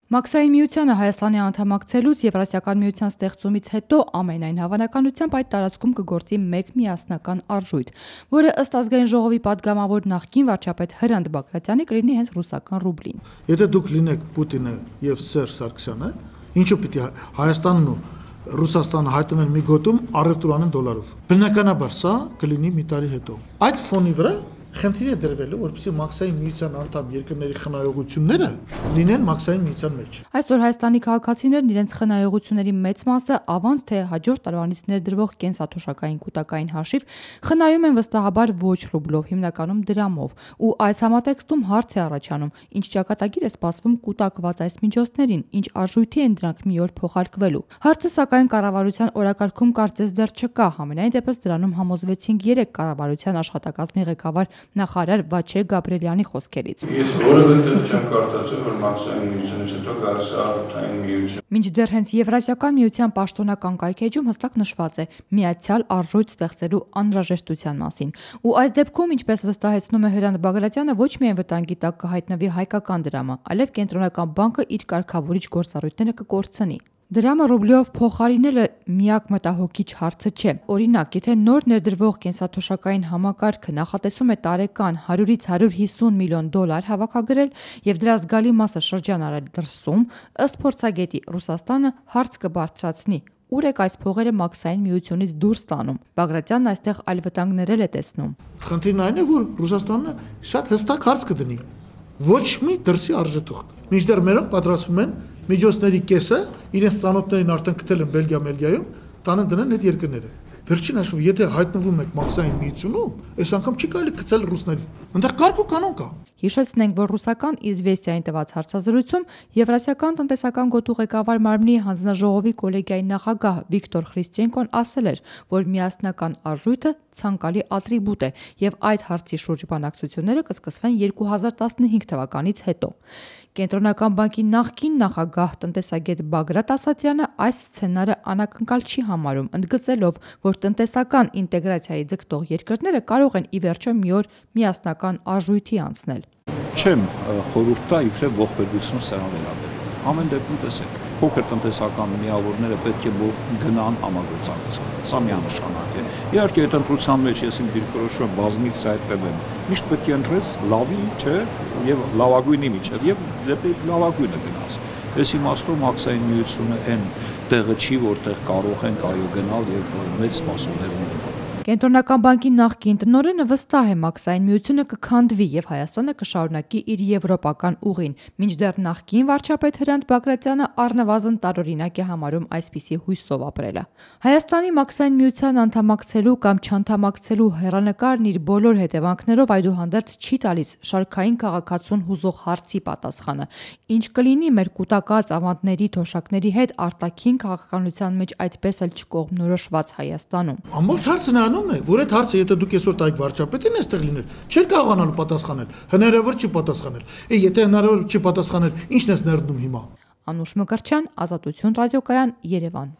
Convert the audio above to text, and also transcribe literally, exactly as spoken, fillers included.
Մաքսային միությանը Հայաստանի անդամակցելուց Եվրասիական միության ստեղծումից հետո ամենայն հավանականությամբ այդ տարածքում կգործի մեկ միասնական արժույթ, որը ըստ Ազգային ժողովի падգամավոր նախկին վարչապետ Հրանտ Բագրատյանի կլինի հենց ռուսական ռուբլին։ Եթե դուք լինեք Պուտինը եւ Սերժ Սարգսյանը, ինչու պիտի Հայաստանն ու Ռուսաստանը հայտնվեն մի գոտում առևտուր անեն դոլարով։ Բնականաբար սա կլինի մի տարի հետո։ Այդ ֆոնի վրա խնդիր է դրվելու, որպեսզի Մաքսային միության անդամ երկրների խնայողությունները լինեն Մաքսային միության մեջ։ Այսօր Հայաստանի քաղաքացիներն իրենց խնայողությունների մեծ մասը ավանց թե հաջորդ տարվանից ներդրվող կենսաթոշակային կուտակային հաշիվ խնայում են վստահաբար ոչ ռուբլով, հիմնականում դրամով, ու այս համատեքստում հարց է առաջանում, ինչ ճակատագիր է սպասվում կուտակված այս միջոցներին, ինչ արժույթի են դրանք մի օր փոխարկվելու։ Հարցը սակայն կառավարության օրակարգում կարծես դեռ չկա, համենայն դեպս դրանում համոզվեցինք երեք կառավարության աշխատակազմի ղեկավար նախարար Վաչե Գաբրելյանի խոսքերից։ Ես որևէ տեղ չեմ կարդացել, որ Մաքսային միությունից հետո գալիս է արժութային միություն։ Մինչդեռ հենց Եվրասիական միության պաշտոնական կայքեջում հստակ նշված է միացյալ արժույթ ստեղծելու անհրաժեշտության մասին։ Ու այս դեպքում, ինչպես վստահեցնում է Հրանտ Բագրատյանը, ոչ միայն վտանգի տակ կհայտնվի հայկական դրամը, այլև կենտրոնական բանկը իր կարգավորիչ գործառույթները կկորցնի։ Դրամը ռուբլիով փոխարինելը միակ մտահոգիչ հարցը չէ։ Օրինակ, եթե նոր ներդրվող կենսաթոշակային համակարգը նախատեսում է տարեկան հարյուրից հարյուր հիսուն միլիոն դոլար հավաքագրել եւ դրա զգալի մասը շրջանառել դրսում, ըստ փորձագետի Ռուսաստանը հարց կբարձրացնի. ուր եք այս փողերը Մաքսային միությունից դուրս տանում։ Բագրատյանն այստեղ այլ վտանգներ է տեսնում։ Խնդիրն այն է, որ Ռուսաստանը շատ հստակ հարց կդնի։ Ոչ մի դրսի արժեթուղթ։ Մինչդեռ մերոնք պատրաստվում են միջոցների կեսը իրենց ծանոթներին արդեն գտել են Բելգիա, Մելգիայում, տանը դնեն այդ երկրները։ Վերջին հաշվով, եթե հայտնվում եք Մաքսային միությունում, այս անգամ չի կարելի գցել ռուսներին։ Այնտեղ կարգ ու կանոն կա։ Հիշեցնենք, որ ռուսական Իզվեստիային տված հարցազրույցում Եվրասիական տնտեսական գոտու ղեկավար մարմնի հանձնաժողովի կոլեգիայի նախագահ Վիկտոր Խրիստչենկոն ասել էր, որ միասնական արժույթը ցանկալի ատրիբուտ է եւ այդ հարցի շուրջ բանակցությունները կսկսվեն երկու հազար տասնհինգ թվականից հետո։ Կենտրոնական բանկի նախկին նախագահ տնտեսագետ Բագրատ Ասատրյանը այս սցենարը անակնկալ չի համարում, ընդգծելով, որ տնտեսական ինտեգրացիայի ձգտող երկրները կարող են ի վերջո մի օր միասնական արժույթի անցնել։ Չեմ խորհուրդ տա իբրև ողբերգություն սրան վերաբերել։ Ամեն դեպքում տեսեք, փոքր տնտեսական միավորները պետք է որ գնան համագործակցության։ Սա միանշանակ է։ Իհարկե, այդ ընտրության մեջ ես իմ դիրքորոշումը բազմից հայտնվել։ Միշտ պետք է ընտրես լավի, չէ, եւ լավագույնի միջև եւ դեպի լավագույնը գնաս։ Այս իմաստով Մաքսային միությունը այն տեղը չի, որտեղ կարող ենք այո գնալ եւ մեծ սպասումներ ունենալ։ Կենտրոնական բանկի նախկին տնօրենը վստահ է Մաքսային միությունը կքանդվի եւ Հայաստանը կշարունակի իր եվրոպական ուղին, մինչդեռ նախկին վարչապետ Հրանտ Բագրատյանը առնվազն տարօրինակ է համարում այսպիսի հույսով ապրելը։ Հայաստանի Մաքսային միության անդամակցելու կամ չանդամակցելու հեռանկարն իր բոլոր հետևանքներով այդուհանդերձ չի տալիս շարքային քաղաքացուն հուզող հարցի պատասխանը, ինչ կլինի մեր կուտակած ավանդների թոշակների հետ արտաքին քաղաքականության մեջ այդպես էլ չկողմնորոշված Հայաստանում։ Ամբողջ հարցը նրանում է, որ այդ հարցը եթե դուք այսօր տայիք վարչապետին այստեղ լիներ, չէր կարողանալու պատասխանել, հնարավոր չի պատասխանել։ Է եթե հնարավոր չի պատասխանել, ի՞նչն ես ներդնում հիմա։ Անուշ Մկրտչյան, Ազատություն ռադիոկայան, Երևան։